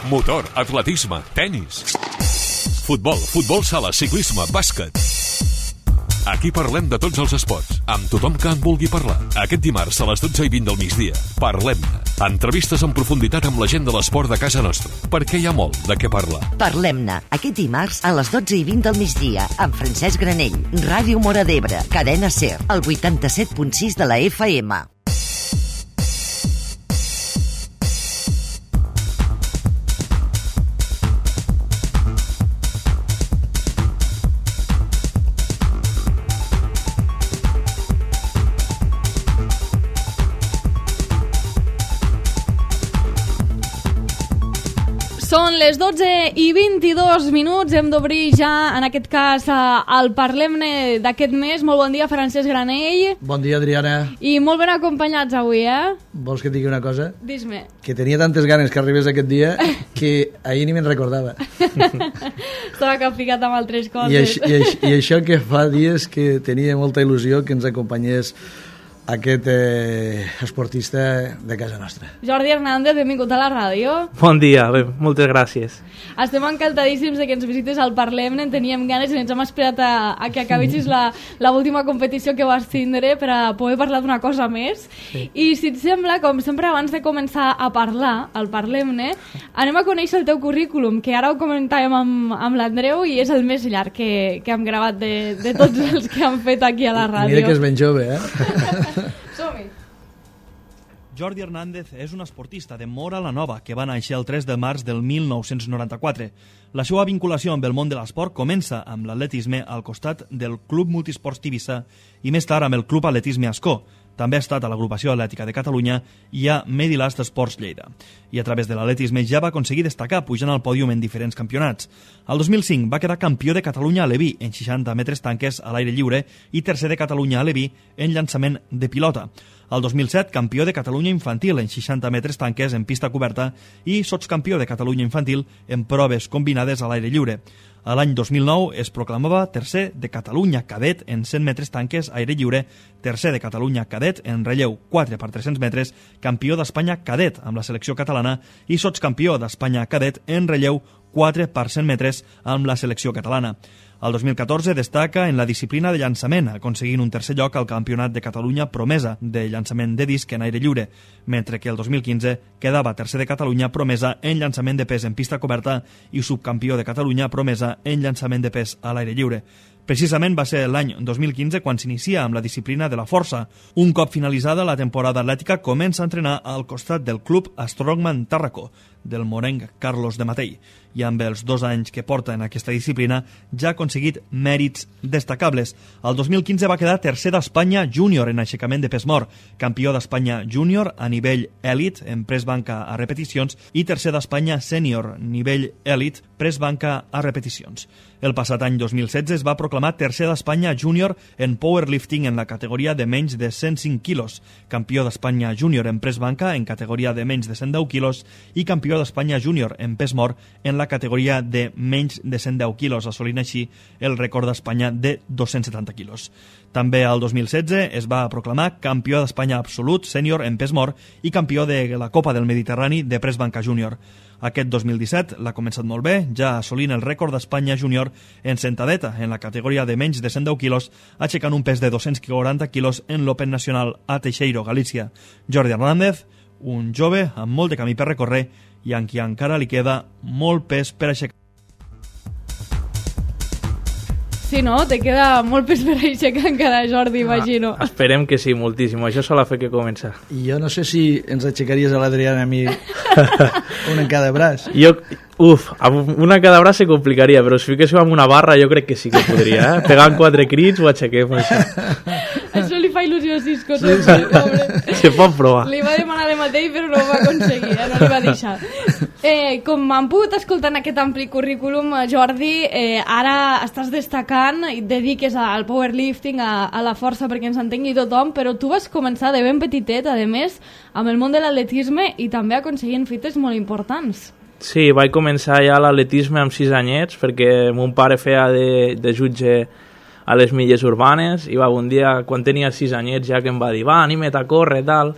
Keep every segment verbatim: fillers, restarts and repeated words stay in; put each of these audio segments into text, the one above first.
motor, atletisme, tenis, futbol, futbol sala, ciclisme, bàsquet. Aquí parlem de tots els esports, amb tothom que en vulgui parlar. Aquest dimarts a les dotze i vint del migdia, parlem-ne. Entrevistes en profunditat amb la gent de l'esport de casa nostra, perquè hi ha molt de què parlar. Parlem-ne, aquest dimarts a les dotze i vint del migdia, amb Francesc Granell, Ràdio Móra d'Ebre, Cadena SER, el vuitanta-set punt sis de la F M. Són les dotze i vint-i-dos minuts, hem d'obrir ja, en aquest cas, el Parlem-ne d'aquest mes. Molt bon dia, Francesc Granell. Bon dia, Adriana. I molt ben acompanyats avui, eh? Vols que et digui una cosa? Dis-me. Que tenia tantes ganes que arribés aquest dia que ahir ni me'n recordava. Estava capficat amb altres coses. I, això, i, això, I això que fa dies que tenia molta il·lusió que ens acompanyés aquest eh, esportista de casa nostra. Jordi Hernández, benvingut a la ràdio. Bon dia, bé, moltes gràcies. Estem encantadíssims de que ens visites al Parlem-ne, en teníem ganes i ens hem esperat a, a que acabessis la, la última competició que vas tindre per a poder parlar d'una cosa més. Sí. I si et sembla, com sempre, abans de començar a parlar al Parlem-ne, anem a conèixer el teu currículum, que ara ho comentàvem amb, amb l'Andreu i és el més llarg que, que hem gravat de, de tots els que han fet aquí a la ràdio. Mira que és ben jove, eh? Som-hi. Jordi Hernández és un esportista de Móra la Nova que va néixer el tres de març del mil nou-cents noranta-quatre. La seva vinculació amb el món de l'esport comença amb l'atletisme al costat del Club Multisports Tivissa i més tard amb el Club Atletisme Ascó. També ha estat a l'Agrupació Atlètica de Catalunya i a Medilast Esports Lleida. I a través de l'atletisme ja va aconseguir destacar pujant al pòdium en diferents campionats. El dos mil cinc va quedar campió de Catalunya a Leví en seixanta metres tanques a l'aire lliure i tercer de Catalunya a Leví en llançament de pilota. El dos mil set, campió de Catalunya infantil en seixanta metres tanques en pista coberta i sotscampió de Catalunya infantil en proves combinades a l'aire lliure. A l'any dos mil nou es proclamava tercer de Catalunya cadet en cent metres tanques aire lliure, tercer de Catalunya cadet en relleu quatre per tres-cents metres, campió d'Espanya cadet amb la selecció catalana i sotscampió d'Espanya cadet en relleu quatre per cent metres amb la selecció catalana. El dos mil catorze destaca en la disciplina de llançament, aconseguint un tercer lloc al Campionat de Catalunya promesa de llançament de disc en aire lliure, mentre que el dos mil quinze quedava tercer de Catalunya promesa en llançament de pes en pista coberta i subcampió de Catalunya promesa en llançament de pes a l'aire lliure. Precisament va ser l'any dos mil quinze quan s'inicia amb la disciplina de la força. Un cop finalitzada la temporada atlètica comença a entrenar al costat del club Strongman Tàrraco, del morenc Carlos de Matei, i amb els dos anys que porta en aquesta disciplina ja ha aconseguit mèrits destacables. El dos mil quinze va quedar tercer d'Espanya júnior en aixecament de pes mort, campió d'Espanya júnior a nivell èlit en pres banca a repeticions i tercer d'Espanya sènior nivell èlit pres banca a repeticions. El passat any dos mil setze es va proclamar tercer d'Espanya júnior en powerlifting en la categoria de menys de cent cinc quilos, campió d'Espanya júnior en pres banca en categoria de menys de cent deu quilos i campió d'Espanya júnior en pes mort en la categoria de menys de cent deu quilos, assolint així el rècord d'Espanya de dos-cents setanta quilos. També el dos mil setze es va proclamar campió d'Espanya absolut sènior en pes mort i campió de la Copa del Mediterrani de pres banca júnior. Aquest dos mil disset l'ha començat molt bé, ja assolint el rècord d'Espanya júnior en sentadeta en la categoria de menys de cent deu quilos, aixecant un pes de dos-cents quaranta quilos en l'Open Nacional a Teixeiro, Galícia. Jordi Hernández, un jove amb molt de camí per recórrer i en qui encara li queda molt pes per aixecar. Sí, no? Te queda molt pes per aixecar encara, Jordi, imagino. Ah, esperem que sí, moltíssim. Això sol fer que comença. I jo no sé si ens aixecaries a l'Adriana a mi una en cada braç. Jo, uf, amb una en cada braç se complicaria, però si fiquéssiu amb una barra jo crec que sí que podria, eh? Pegant quatre crits ho aixequem, això. Això li fa il·lusió a Cisco. Sí, sí. Se pot provar. Li va demanar de mateix, però no ho va aconseguir, eh? No li va deixar. Eh, com han pogut escoltar en aquest ampli currículum, Jordi, eh, ara estàs destacant i et dediques al powerlifting, a, a la força perquè ens entengui tothom, però tu vas començar de ben petitet, a més, amb el món de l'atletisme i també aconseguint fites molt importants. Sí, vaig començar ja l'atletisme amb sis anyets perquè mon pare feia de, de jutge a les milles urbanes i va, un dia, quan tenia sis anyets, ja que em va dir, va, anima't a córrer, tal.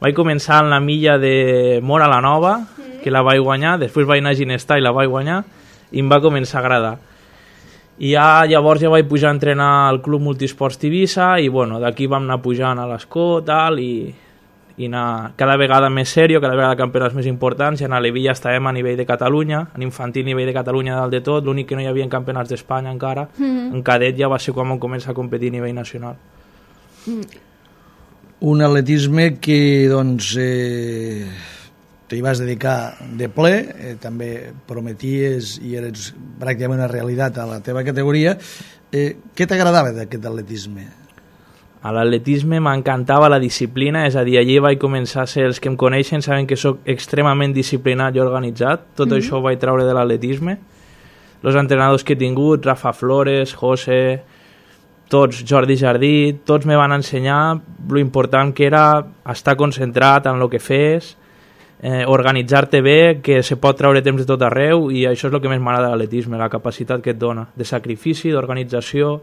Vaig començar en la milla de Móra la Nova, mm. que la vaig guanyar, després vaig anar a Ginestar i la vaig guanyar, i em va començar a agradar. I ja, llavors ja vaig pujar a entrenar al Club Multisports Tivissa, i bueno, d'aquí vam anar pujant a l'Escó, tal, i, i anar cada vegada més sèrio, cada vegada campionats més importants, i en Alevilla estàvem a nivell de Catalunya, en infantil nivell de Catalunya dalt de tot, l'únic que no hi havia campionats d'Espanya encara, mm-hmm. en cadet ja va ser quan vam començar a competir a nivell nacional. Mm. Un atletisme que, doncs, eh, t'hi vas dedicar de ple, eh, també prometies i eres pràcticament una realitat a la teva categoria. Eh, què t'agradava d'aquest atletisme? A l'atletisme m'encantava la disciplina, és a dir, allí vaig començar a ser, els que em coneixen saben que sóc extremament disciplinat i organitzat, tot mm-hmm. això ho vaig treure de l'atletisme. Els entrenadors que he tingut, Rafa Flores, José, tots, Jordi Jardí, tots me van ensenyar lo important que era estar concentrat en el que fes, eh, organitzar-te bé, que se pot treure temps de tot arreu, i això és el que més m'agrada de l'atletisme, la capacitat que et dona, de sacrifici, d'organització.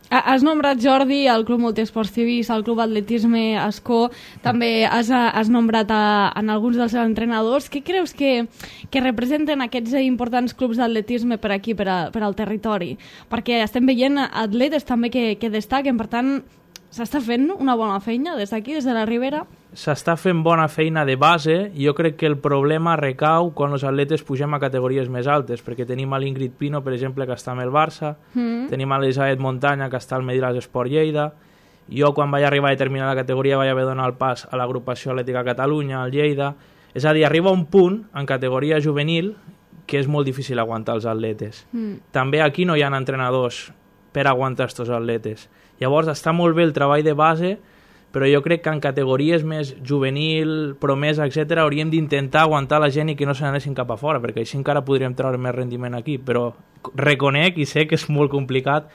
Has nombrat, Jordi, el Club Multisports Tivissa, el Club Atletisme Escó, també has, has nombrat a, en alguns dels entrenadors. Què creus que, que representen aquests importants clubs d'atletisme per aquí, per, a, per al territori? Perquè estem veient atletes també que, que destaquen, per tant, s'està fent una bona feina des d'aquí, des de la Ribera? S'està fent bona feina de base, i jo crec que el problema recau quan els atletes pugem a categories més altes, perquè tenim a l'Ingrid Pino, per exemple, que està amb el Barça, mm. tenim a l'Elisabet Montanya, que està al Medilas Esport Lleida. Jo, quan vaig arribar a determinada categoria, vaig haver de donar el pas a l'agrupació atlètica Catalunya, al Lleida. És a dir, arriba un punt, en categoria juvenil, que és molt difícil aguantar els atletes. Mm. També aquí no hi ha entrenadors per aguantar aquests atletes. Llavors, està molt bé el treball de base, però jo crec que en categories més juvenil, promesa, etcètera, hauríem d'intentar aguantar la gent i que no se n'anessin cap a fora, perquè així encara podríem treure més rendiment aquí, però reconec i sé que és molt complicat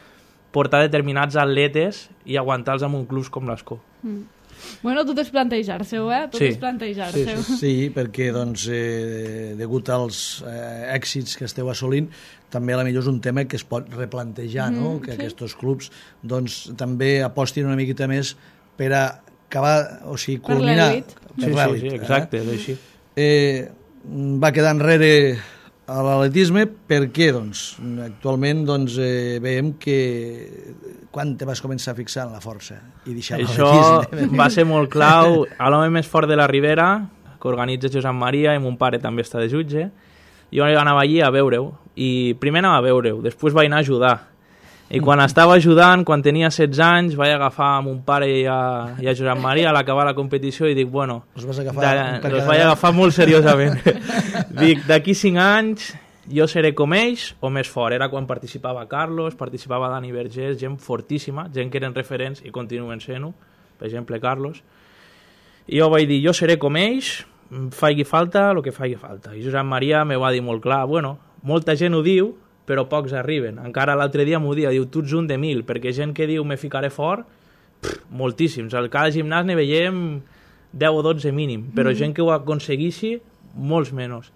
portar determinats atletes i aguantar-los en un club com l'Escó. Mm. Bueno, tot és plantejar-se-ho, eh? Tot sí. és plantejar-se-ho. Sí, sí, sí, perquè, doncs, eh, degut als eh, èxits que esteu assolint, també a la millor és un tema que es pot replantejar, mm, no? Que sí. Aquests clubs, doncs, també apostin una miqueta més per a acabar, o sigui, culminar... Per l'elit. Sí, sí, sí, exacte, eh? és així. Eh, va quedar enrere a l'atletisme perquè, doncs, actualment, doncs, eh, veiem que quan te vas començar a fixar en la força i deixar l'atletisme? Això va ser molt clau. A l'home més fort de la Ribera, que organitza Josep Maria, i mon pare també està de jutge, jo anava allí a veure-ho, i primer anava a veure-ho, després vaig anar a ajudar. I quan estava ajudant, quan tenia setze anys, vaig agafar a mon pare i a, i a Josep Maria a l'acabar la competició i dic, bueno, els vas agafar, de, els vaig agafar molt seriosament. Dic, d'aquí cinc anys jo seré com ells o més fort. Era quan participava Carlos, participava Dani Vergés, gent fortíssima, gent que eren referents i continuen sent-ho, per exemple Carlos. I jo vaig dir, jo seré com ells, faci falta el que faci falta. I Josep Maria me va dir molt clar, bueno, molta gent ho diu, però pocs arriben. Encara l'altre dia m'ho dia, diu, tu ets un de mil, perquè gent que diu me ficaré fort, pff, moltíssims. Al cada gimnàs ne veiem deu o dotze mínim, però mm. gent que ho aconsegueixi, molts menys.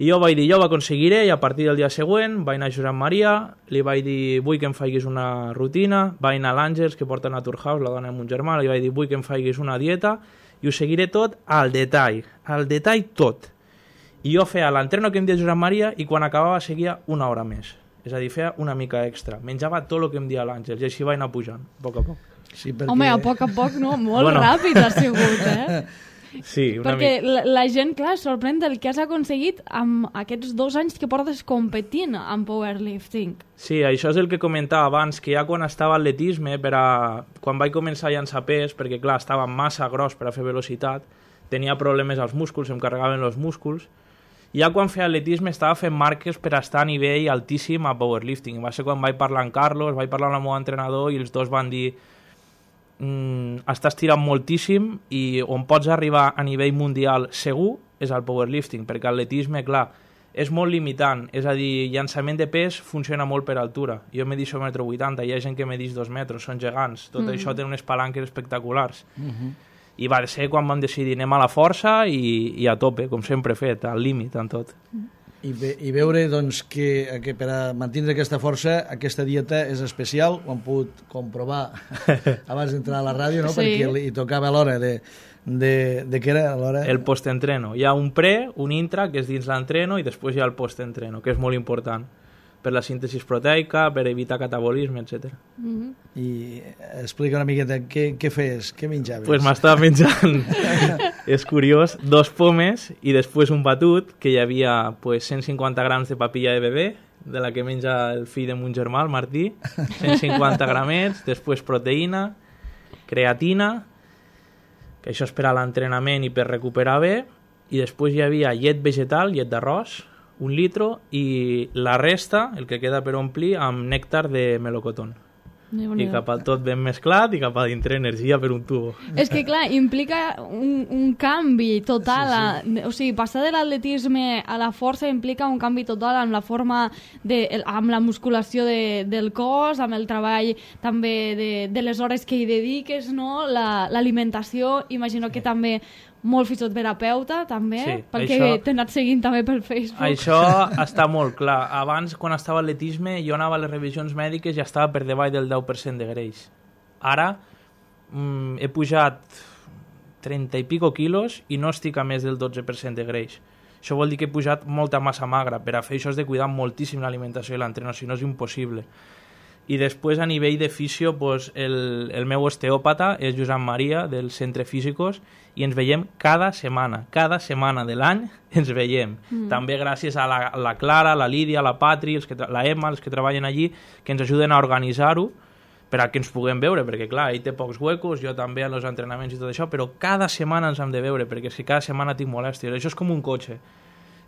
I jo vaig dir, jo ho aconseguiré, i a partir del dia següent vaig anar a Josep Maria, li vaig dir, vull que em facis una rutina, vaig anar a l'Àngels, que porta Naturhaus, la dona de mon germà, li vaig dir, vull que em facis una dieta, i ho seguiré tot al detall, al detall tot. I jo feia l'entreno que em deia Josep Maria i quan acabava seguia una hora més. És a dir, feia una mica extra. Menjava tot el que em deia l'Àngels i així vaig anar pujant, a poc a poc. Sí, perquè... Home, a poc a poc, no? Molt bueno. Ràpid ha sigut, eh? Sí, una perquè mica. la, la gent, clar, sorprèn del que has aconseguit amb aquests dos anys que portes competint en powerlifting. Sí, això és el que comentava abans, que ja quan estava a atletisme, per a... quan vaig començar a llançar pes, perquè clar, estava massa gros per a fer velocitat, tenia problemes als músculs, em carregaven els músculs, ja quan feia atletisme estava fent marques per estar a nivell altíssim a powerlifting. Va ser quan vaig parlar amb Carlos, vaig parlar amb el meu entrenador i els dos van dir mm, estàs tirant moltíssim i on pots arribar a nivell mundial segur és el powerlifting, perquè l'atletisme, clar, és molt limitant. És a dir, llançament de pes funciona molt per altura. Jo me deixo un metro vuitanta, hi ha gent que me deixo dos metres, són gegants. Tot mm-hmm. això té unes palanques espectaculars. Mm-hmm. I va ser quan vam decidir anem a la força i, i a tope, com sempre he fet, al límit en tot. I, ve, i veure doncs, que, que per a mantenir aquesta força aquesta dieta és especial, ho hem pogut comprovar abans d'entrar a la ràdio, no? Sí. Perquè li tocava a l'hora de, de, de què era l'hora? El postentreno. Hi ha un pre, un intra, que és dins l'entreno, i després hi ha el postentreno, que és molt important per la síntesi proteica, per evitar catabolisme, etcètera. Mm-hmm. I explica una miqueta què, què feies, què menjaves? Pues m'estava menjant, és curiós, dos pomes i després un batut, que hi havia pues, cent cinquanta grams de papilla de bebè, de la que menja el fill de mon germà, el Martí, cent cinquanta gramets, després proteïna, creatina, que això és per a l'entrenament i per recuperar bé, i després hi havia llet vegetal, llet d'arròs, un litro, i la resta, el que queda per omplir, amb nèctar de melocotón. I cap a tot ben mesclat i cap a dintre energia per un tubo. És que, clar, implica un, un canvi total. Sí, sí. A, o sigui, passar de l'atletisme a la força implica un canvi total amb la forma, de, amb la musculació de, del cos, amb el treball també de, de les hores que hi dediques, no? L'alimentació, la, imagino que també molt fisioterapeuta, també, sí, pel això, que t'he anat seguint també pel Facebook. Això està molt clar. Abans, quan estava a atletisme, jo anava a les revisions mèdiques i ja estava per davall del deu per cent de greix. Ara mm, he pujat trenta i pico quilos i no estic a més del dotze per cent de greix. Això vol dir que he pujat molta massa magra. Per a fer això has de cuidar moltíssim l'alimentació i l'entreno, si no és impossible. I després, a nivell de fisio, pues, el, el meu osteòpata és Josep Maria, del Centre Físicos, i ens veiem cada setmana. Cada setmana de l'any ens veiem. Mm. També gràcies a la, la Clara, la Lídia, la Patri, els que, la Emma, els que treballen allí, que ens ajuden a organitzar-ho per a que ens puguem veure, perquè clar, ell té pocs huecos, jo també en els entrenaments i tot això, però cada setmana ens hem de veure, perquè si cada setmana tinc molèsties. Això és com un cotxe.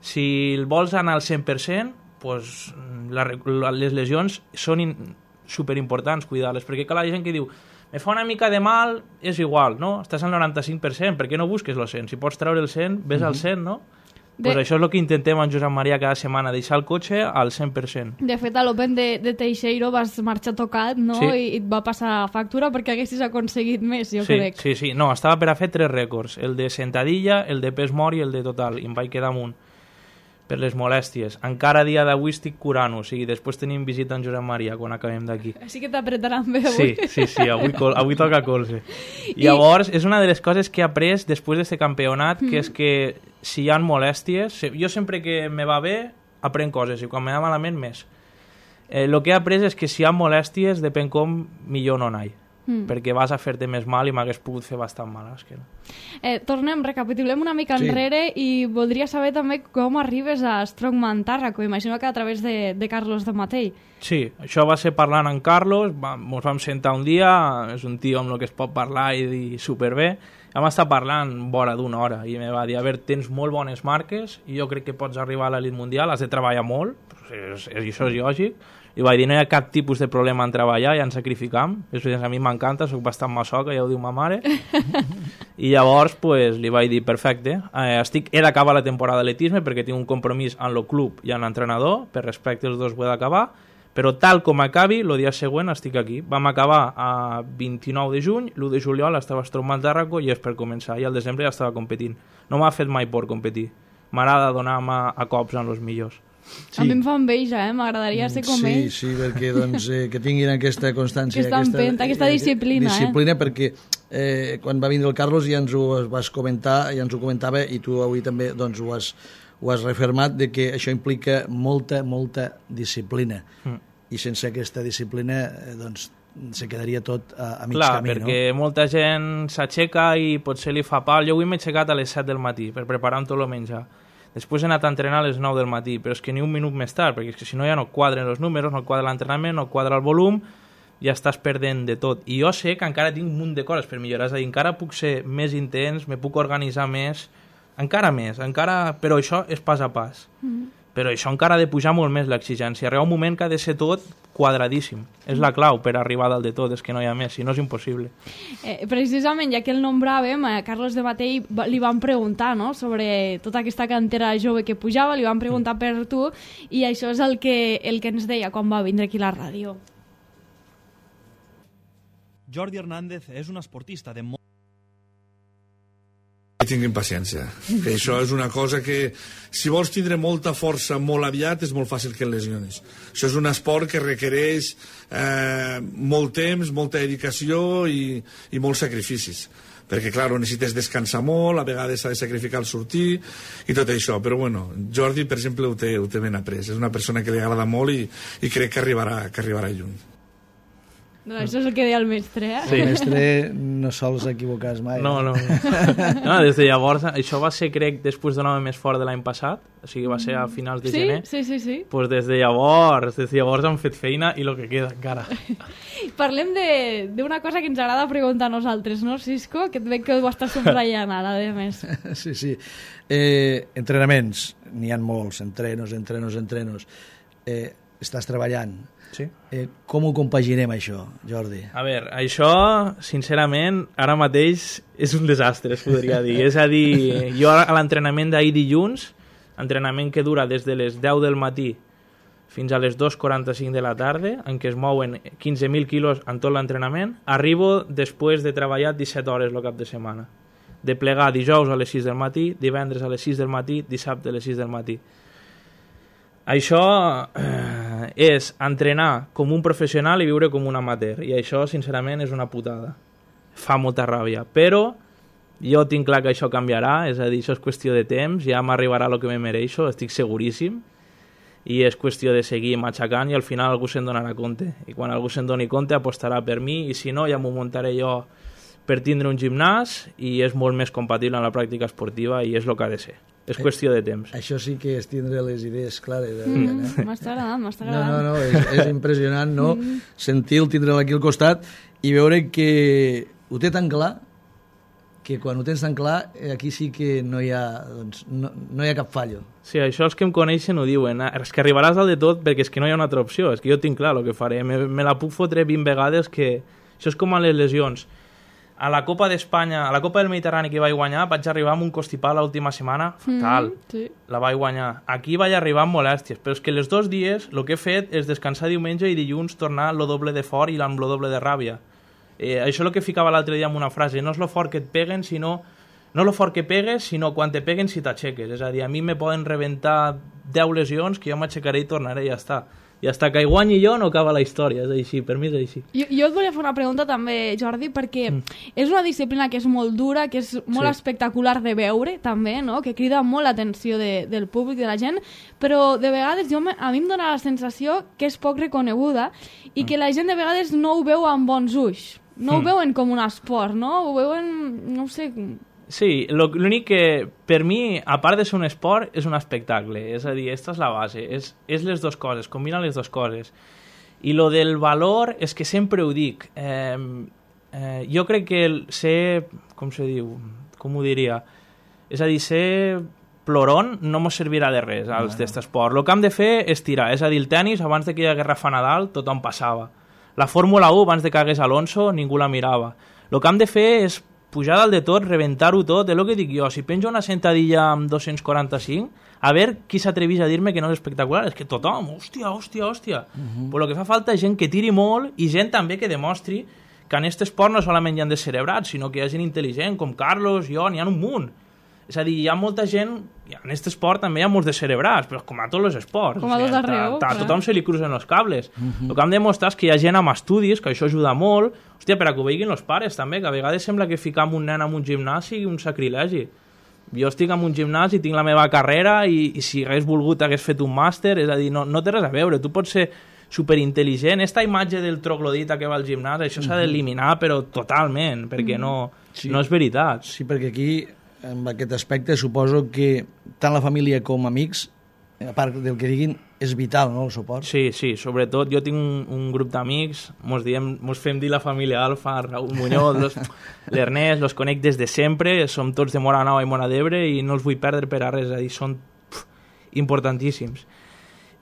Si el vols anar al cent per cent, pues, la, les lesions són in, superimportants cuidar-les, perquè clar, hi ha gent que diu me fa una mica de mal, és igual, no? Estàs al noranta-cinc per cent, per què no busques el cent? Si pots treure el cent, ves mm-hmm. al cent, no? De... Pues això és el que intentem en Josep Maria cada setmana, deixar el cotxe al cent per cent. De fet, a l'Open de, de Teixeiro vas marxar tocat, no? Sí. I et va passar factura perquè haguessis aconseguit més, jo sí, crec. Sí, sí, no, estava per a fer tres rècords, el de sentadilla, el de pes mort i el de total, i em vaig quedar amunt per les molèsties. Encara a dia d'avui estic curant-ho, o sigui, després tenim visita en Josep Maria quan acabem d'aquí. Sí que t'apretaran bé avui. Sí, sí, sí, avui, col avui toca colze. I llavors, és una de les coses que he après després d'aquest campionat, mm. que és que si hi ha molèsties, jo sempre que me va bé, aprenc coses, i quan me va malament, més. El eh, que he après és que si hi ha molèsties, depèn com, millor no anar-hi. Mm. perquè vas a fer-te més mal i m'hagués pogut fer bastant mal. És que... eh, tornem, recapitulem una mica sí. enrere i voldria saber també com arribes a Strongman Tàrraco. Imagino que a través de, de Carlos de Matei. Sí, això va ser parlant amb Carlos, va, ens vam sentar un dia, és un tio amb el que es pot parlar i dir superbé, vam estar parlant vora d'una hora i em va dir, a veure, tens molt bones marques i jo crec que pots arribar a l'elit mundial, has de treballar molt, és, és, això és lògic. I vaig dir, no hi ha cap tipus de problema en treballar, ja ens sacrificam. És a mi m'encanta, soc bastant masoca, ja ho diu ma mare. I llavors pues, li vaig dir, perfecte, eh, estic, he d'acabar la temporada d'atletisme perquè tinc un compromís amb el club i amb l'entrenador, per respecte els dos ho he d'acabar, però tal com acabi, el dia següent estic aquí. Vam acabar a vint-i-nou de juny, l'u de juliol estava a Strongman Tàrraco i és per començar, i al desembre ja estava competint. No m'ha fet mai por competir. M'agrada donar-me a cops amb els millors. Sí. A mi em fa enveja, eh? M'agradaria ser com sí, ells. Sí, perquè doncs, eh, que tinguin aquesta constància. Aquesta empenta, aquesta disciplina. Disciplina, eh? perquè eh, quan va vindre el Carlos ja ens ho vas comentar, ja ens ho comentava, i tu avui també doncs, ho, has, ho has refermat, de que això implica molta, molta disciplina. Mm. I sense aquesta disciplina eh, doncs, se quedaria tot a, a mig Clar, camí, perquè no? molta gent s'aixeca i potser li fa pal. Jo avui m'he aixecat a les set del matí per preparar tot el menjar. Després he anat a entrenar a les nou del matí, però és que ni un minut més tard, perquè és que si no ja no quadren els números, no quadra l'entrenament, no quadra el volum, ja estàs perdent de tot. I jo sé que encara tinc un munt de coses per millorar, és a dir, encara puc ser més intens, me puc organitzar més, encara més, encara... però això és pas a pas. Mm-hmm. Però això encara ha de pujar molt més l'exigència. Arriba un moment que ha de ser tot quadradíssim. És la clau per arribar dalt de tot, és que no hi ha més, si no és impossible. Eh, precisament, ja que el nombràvem, a Carlos de Matei li van preguntar, no?, sobre tota aquesta cantera jove que pujava, li van preguntar per tu, i això és el que, el que ens deia quan va vindre aquí a la ràdio. Jordi Hernández és un esportista de molt tinguin paciència. Que això és una cosa que, si vols tindre molta força molt aviat, és molt fàcil que et lesionis. Això és un esport que requereix eh, molt temps, molta dedicació i, i molts sacrificis. Perquè, clar, necessites descansar molt, a vegades s'ha de sacrificar el sortir i tot això. Però, bueno, Jordi, per exemple, ho té, ho té ben après. És una persona que li agrada molt i, i crec que arribarà, que arribarà lluny. No, això és el que deia el mestre, eh? Sí. El mestre no sols equivocar mai. No, no. no. Des de llavors, això va ser, crec, després d'un home més fort de l'any passat, o sigui, va ser a finals de sí? gener. Sí, sí, sí. Pues des de llavors, des de llavors han fet feina i el que queda encara. Parlem d'una cosa que ens agrada preguntar a nosaltres, no, Cisco? Que et veig que ho estàs subratllant ara, a més. Sí, sí. Eh, entrenaments, n'hi ha molts, entrenos, entrenos, entrenos. Eh, estàs treballant. Sí. Eh, com ho compaginem, això, Jordi? A veure, això, sincerament, ara mateix és un desastre, es podria dir. És a dir, jo a l'entrenament d'ahir dilluns, entrenament que dura des de les deu del matí fins a les dues quaranta-cinc de la tarda, en què es mouen quinze mil quilos en tot l'entrenament, arribo després de treballar disset hores el cap de setmana. De plegar dijous a les sis del matí, divendres a les sis del matí, dissabte a les sis del matí. Això eh, és entrenar com un professional i viure com un amateur, i això, sincerament, és una putada. Fa molta ràbia, però jo tinc clar que això canviarà, és a dir, això és qüestió de temps, ja m'arribarà el que me mereixo, estic seguríssim, i és qüestió de seguir matxacant i al final algú se'n donarà compte. I quan algú se'n doni compte apostarà per mi, i si no ja m'ho muntaré jo per tindre un gimnàs, i és molt més compatible amb la pràctica esportiva i és el que ha de ser. És qüestió de temps. Això sí que és tindre les idees clares. Mm, eh? M'està agradant, m'està agradant. No, no, no, és, és impressionant, no? Mm. Sentir-lo, tindre'l aquí al costat i veure que ho té tan clar que quan ho tens tan clar, aquí sí que no hi ha, doncs, no, no hi ha cap fallo. Sí, això els que em coneixen ho diuen. És que arribaràs al de tot perquè és que no hi ha una altra opció. És que jo tinc clar el que faré. Me, me la puc fotre vint vegades que... Això és com a les lesions. A la Copa d'Espanya, a la Copa del Mediterrani que vaig guanyar, vaig arribar amb un constipat l'última setmana fatal. Mm, sí. La vaig guanyar. Aquí vaig arribar amb molèsties, però és que els dos dies el que he fet és descansar diumenge i dilluns tornar lo doble de fort i amb lo doble de ràbia. Eh, això és el que ficava l'altre dia amb una frase. No és lo fort que et peguen, sinó... No lo fort que pegues, sinó quan te peguen si t'aixeques. És a dir, a mi me poden rebentar deu lesions que jo m'aixecaré i tornaré i ja està. I hasta que hi guanyi jo no acaba la història, és així, per mi és així. Jo, jo et volia fer una pregunta també, Jordi, perquè mm. és una disciplina que és molt dura, que és molt sí. espectacular de veure, també, no? Que crida molt l'atenció de, del públic, de la gent, però de vegades jo, a mi em dóna la sensació que és poc reconeguda i mm. que la gent de vegades no ho veu amb bons ulls. No mm. ho veuen com un esport, no? Ho veuen, no ho sé... Sí, l'únic que per mi, a part de ser un esport, és un espectacle. És a dir, aquesta és la base. És, és les dues coses, combina les dues coses. I lo del valor és que sempre ho dic. Eh, eh, jo crec que el ser, com se diu, com ho diria? És a dir, ser ploron no mos servirà de res als d'aquest esport. El que hem de fer és tirar. És a dir, el tennis, abans de que hi hagués Rafa Nadal, tothom passava. La Fórmula u, abans de que hagués Alonso, ningú la mirava. El que hem de fer és pujar dalt de tot, rebentar-ho tot, és el que dic jo. Si penjo una sentadilla amb dos-cents quaranta-cinc, a veure qui s'atreveix a dir-me que no és espectacular. És que tothom, hòstia, hòstia, hòstia. Uh-huh. Però el que fa falta és gent que tiri molt i gent també que demostri que en aquest esport no solament hi ha descerebrats, sinó que hi ha gent intel·ligent, com Carlos, jo, n'hi ha un munt. És a dir, hi ha molta gent, en aquest esport també hi ha molts descerebrats, però com a tots els esports. Com a tot arreu. A tothom se li cruzen els cables. Uh-huh. El que hem de demostrar és que hi ha gent amb estudis, que això ajuda molt. Hòstia, per a que ho veguin els pares també, que a vegades sembla que ficar un nen en un gimnàs sigui un sacrilegi. Jo estic en un gimnàs i tinc la meva carrera i, i si hagués volgut hagués fet un màster, és a dir, no, no té res a veure. Tu pots ser superintel·ligent. Esta imatge del troglodita que va al gimnàs, això s'ha d'eliminar, però totalment, perquè no, sí. no és veritat. Sí, perquè aquí, en aquest aspecte, suposo que tant la família com amics, a part del que diguin, és vital, no?, el suport. Sí, sí, sobretot jo tinc un, un grup d'amics, mos, diem, mos fem dir la família Alfa, Raúl Muñoz, l'Ernest, los conec des de sempre, som tots de Móra la Nova i Móra d'Ebre i no els vull perdre per a res, és a dir, són pf, importantíssims.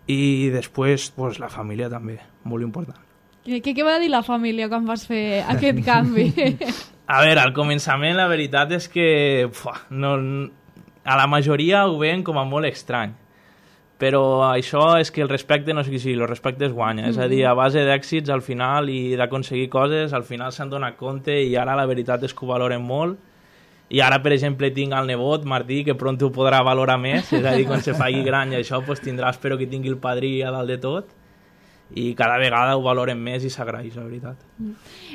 I després, pues, la família també, molt important. Què, què va dir la família quan vas fer aquest canvi? A veure, al començament la veritat és que pua, no, a la majoria ho veien com a molt estrany, però això és que el respecte no és que sí, el respecte es guanya, mm-hmm. és a dir, a base d'èxits al final i d'aconseguir coses, al final s'han donat compte i ara la veritat és que ho valoren molt I ara, per exemple, tinc el nebot, Martí, que pront ho podrà valorar més, és a dir, quan se faci gran i això, pues, tindrà, espero que tingui el padrí a dalt de tot, i cada vegada ho valoren més i s'agraeix, la veritat.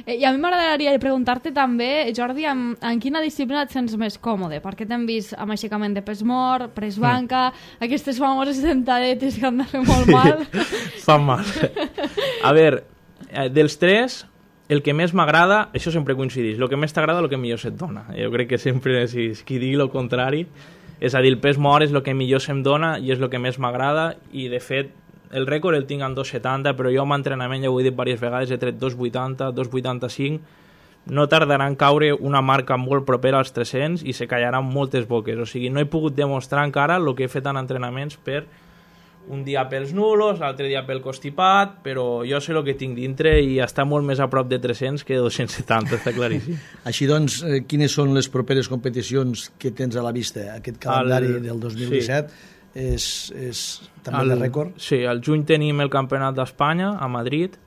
I a mi m'agradaria preguntar-te també, Jordi, en, en quina disciplina et sents més còmode? Perquè t'hem vist amb aixecament de pes mort, pres banca, mm. aquestes famoses sentadetes que han de fer molt mal. Fan mal. A veure, dels tres, el que més m'agrada, això sempre coincideix, el que més t'agrada, el que millor se't dona. Jo crec que sempre, si qui digui el contrari, és a dir, el pes mort és el que millor se'm dona i és el que més m'agrada, i de fet, el rècord el tinc en dos setanta, però jo amb entrenament, ja ho he dit diverses vegades, he tret dos vuitanta, dos vuitanta-cinc, no tardarà en caure una marca molt propera als tres-cents i se callaran moltes boques, o sigui, no he pogut demostrar encara el que he fet en entrenaments per un dia pels nulos, l'altre dia pel constipat, però jo sé el que tinc dintre i està molt més a prop de tres-cents que de dos-cents setanta, està claríssim. Així doncs, eh, quines són les properes competicions que tens a la vista? Aquest calendari el, del dos mil disset sí. és, és també el, de rècord? Sí, al juny tenim el Campionat d'Espanya a Madrid,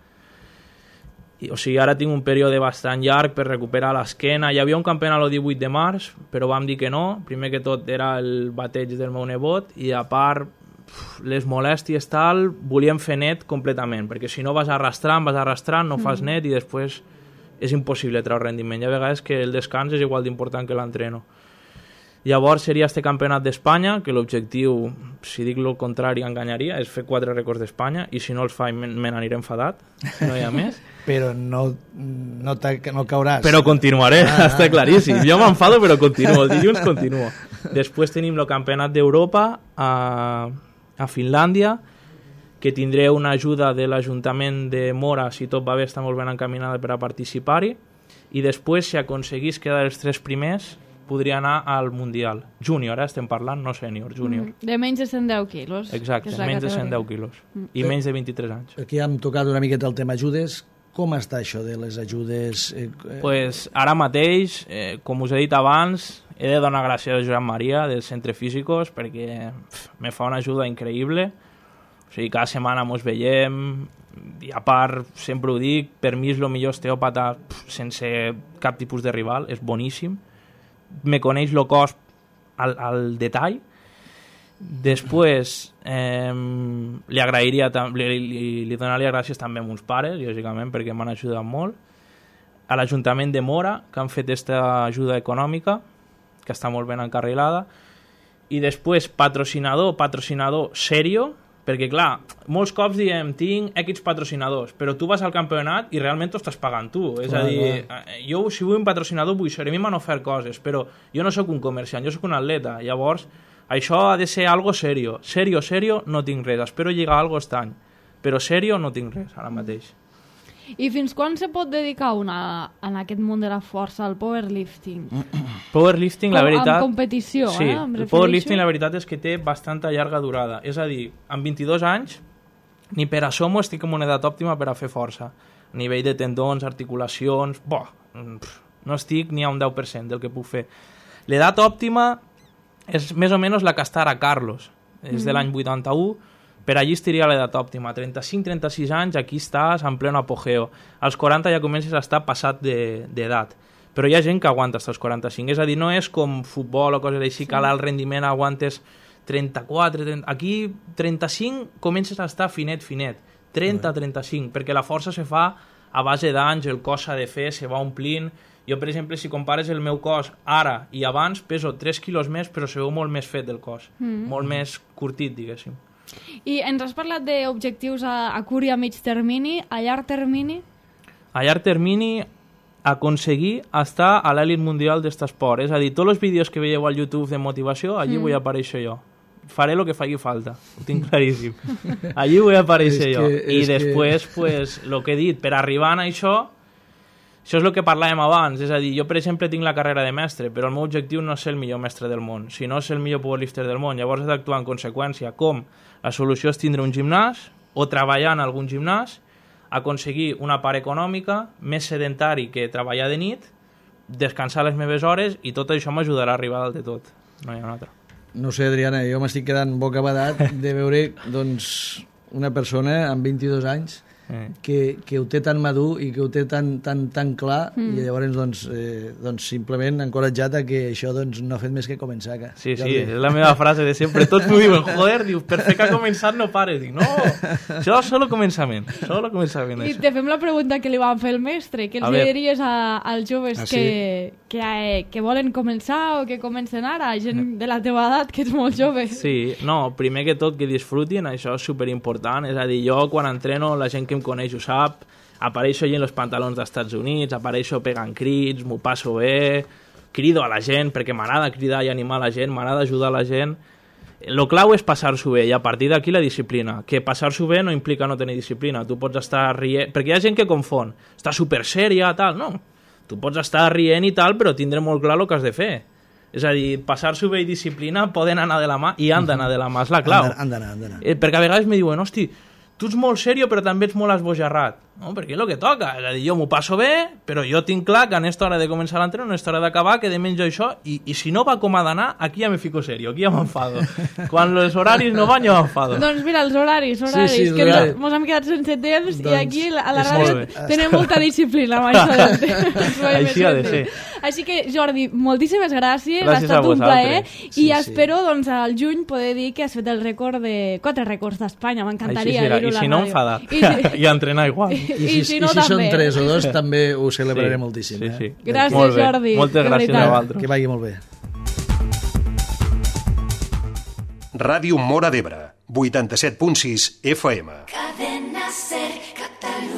I, o sigui, ara tinc un període bastant llarg per recuperar l'esquena. Hi havia un campionat el divuit de març, però vam dir que no. Primer que tot era el bateig del meu nebot i a part les molèsties tal, volíem fer net completament, perquè si no vas arrastrant, vas arrastrant, no fas net i després és impossible treure rendiment. Hi ha vegades que el descans és igual d'important que l'entreno. Llavors seria este campionat d'Espanya, que l'objectiu, si dic el contrari, enganyaria, és fer quatre rècords d'Espanya, i si no els faig me n'aniré enfadat, no hi ha més. Però no, no, no cauràs. Però continuaré, ah, està claríssim. Jo m'enfado, però continuo, el dilluns continuo. Després tenim el campionat d'Europa a, a Finlàndia, que tindré una ajuda de l'Ajuntament de Mora, si tot va bé, està molt ben encaminada per a participar-hi, i després, si aconseguís quedar els tres primers, podria anar al Mundial. Júnior, eh, estem parlant, no sènior, júnior. Mm, de menys de cent deu quilos. Exacte, menys de cent deu quilos. Mm. I menys de vint-i-tres anys. Aquí hem tocat una miqueta el tema ajudes. Com està això de les ajudes? Eh, eh... Pues ara mateix, eh, com us he dit abans, he de donar gràcies a Josep Maria del Centre Físicos perquè pff, me fa una ajuda increïble. O sigui, cada setmana mos veiem i a part, sempre ho dic, per mi és el millor osteòpata pff, sense cap tipus de rival, és boníssim. Me coneix el cos al, al detall. Després eh, li agrairia li, li, li donaria gràcies també a meus pares, lògicament, perquè m'han ajudat molt, a l'Ajuntament de Mora, que han fet aquesta ajuda econòmica, que està molt ben encarrilada, i després patrocinador, patrocinador serio, perquè clar, molts cops diem tinc X patrocinadors, però tu vas al campionat i realment t'ho estàs pagant tu, és clar, a dir, clar. Jo si vull un patrocinador vull ser, a mi m'han ofert coses, però jo no sóc un comerciant, jo sóc un atleta, llavors això ha de ser algo serio, serio, serio no tinc res, espero lligar algo aquest any, però serio no tinc res ara mateix. I fins quan se pot dedicar una en aquest món de la força, al powerlifting? Powerlifting, la veritat... Amb competició, sí, eh? El powerlifting, la veritat és que té bastanta llarga durada. És a dir, amb vint-i-dos anys, ni per assomo estic en una edat òptima per a fer força. A nivell de tendons, articulacions... Boh, no estic ni a un deu per cent del que puc fer. L'edat òptima és més o menys la que està ara Carlos. És de l'any vuitanta-u, per allí estaria l'edat òptima. trenta-cinc trenta-sis anys, aquí estàs en pleno apogeo. Als quaranta ja comences a estar passat d'edat. Però hi ha gent que aguanta fins als quaranta-cinc. És a dir, no és com futbol o coses així, que al rendiment aguantes trenta-quatre... trenta... Aquí, trenta-cinc, comences a estar finet, finet. trenta trenta-cinc, perquè la força se fa a base d'anys, el cos s'ha de fer, se va omplint. Jo, per exemple, si compares el meu cos ara i abans, peso tres quilos més, però se veu molt més fet el cos. Mm. Molt més curtit, diguéssim. I ens has parlat d'objectius a, a curt i a mig termini, a llarg termini? A llarg termini, aconseguir estar a l'elit mundial d'aquest esport. És a dir, tots els vídeos que veieu al YouTube de motivació, allí mm. vull aparèixer jo. Faré el que faci falta, ho tinc claríssim. Allí vull aparèixer jo. I després, que... pues, el que he dit, per arribar a això, això és el que parlàvem abans. És a dir, jo, per exemple, tinc la carrera de mestre, però el meu objectiu no és ser el millor mestre del món, sinó ser el millor powerlifter del món. Llavors he d'actuar en conseqüència. Com? La solució és tindre un gimnàs o treballar en algun gimnàs, aconseguir una part econòmica, més sedentari que treballar de nit, descansar les meves hores i tot això m'ajudarà a arribar dalt de tot. No hi ha una altra. No sé, Adriana, jo m'estic quedant bocabadat de veure doncs, una persona amb vint-i-dos anys Eh. que, que ho té tan madur i que ho té tan, tan, tan clar Mm. i llavors doncs, eh, doncs simplement encoratjat a que això doncs, no ha fet més que començar. Que, Sí, sí, Jordi. és la meva frase de sempre. Tots m'ho diuen, joder, diu, per fer que ha començat no pares. Dic, no, això és solo començament, solo començament. I Això. te fem la pregunta que li van fer el mestre. Què A els veure. diries a, als joves Ah, sí? que, que, eh, que volen començar o que comencen ara? Gent de la teva edat, que ets molt jove. Sí, no, primer que tot que disfrutin, això és superimportant. És a dir, jo quan entreno, la gent que em coneix ho sap, apareixo allà en els pantalons dels Estats Units, apareixo pegant crits, m'ho passo bé, crido a la gent, perquè m'agrada cridar i animar la gent, m'agrada ajudar la gent. Lo clau és passar-s'ho bé i a partir d'aquí la disciplina. Que passar-s'ho bé no implica no tenir disciplina. Tu pots estar rient... Perquè hi ha gent que confon. Està super sèria, tal. No. Tu pots estar rient i tal, però tindre molt clar el que has de fer. És a dir, passar-s'ho bé i disciplina poden anar de la mà i han d'anar de la mà, és la clau. Han d'anar, han d'anar. Eh, perquè a vegades me diuen, hosti, tu ets molt sèrio però també ets molt esbojarrat. No, perquè és el que toca. És a dir, jo m'ho passo bé, però jo tinc clar que en esta hora de començar l'entreno, en esta hora d'acabar, que de menys jo això, i, i si no va com ha d'anar, aquí ja me fico serio, aquí ja m'enfado. Quan els horaris no van, jo m'enfado. Doncs mira, els horaris, horaris, Sí, sí, que horaris. ens, mos hem quedat sense temps i Doncs aquí a la és ràdio molt bé. tenim molta disciplina amb això del temps. Així ha de ser. Així que, Jordi, moltíssimes gràcies, Gràcies ha estat a un plaer vosaltres. i Sí, sí. espero doncs, al juny poder dir que has fet el rècord de quatre rècords d'Espanya, Així m'encantaria serà. dir-ho I a la si no, ràdio. enfadat. I si- I entrenar igual. I, I, i si, si i no, si també. són tres o dos, també ho celebraré Sí. moltíssim. Sí, eh? sí. Gràcies, Molt bé. Jordi. Moltes de gràcies a veritat. vosaltres. Que vagi molt bé. Ràdio Móra d'Ebre, vuitanta-set punt sis F M. Cadena Ser, Catalunya.